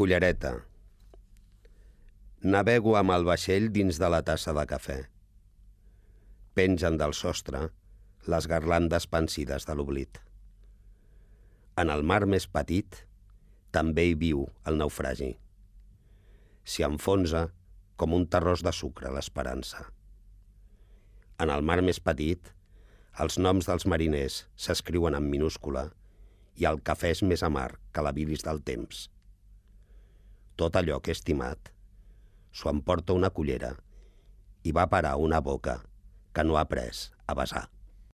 Cullereta. Navego amb el vaixell dins de la tassa de cafè. Pengen del sostre les garlandes pansides de l'oblit. En el mar més petit també hi viu el naufragi. S'hi enfonsa com un terròs de sucre l'esperança. En el mar més petit, els noms dels mariners s'escriuen en minúscula i el cafè és més amarg que la bilis del temps. Tot allò que he estimat s'ho emporta una cullera i va parar a una boca que no ha après a besar.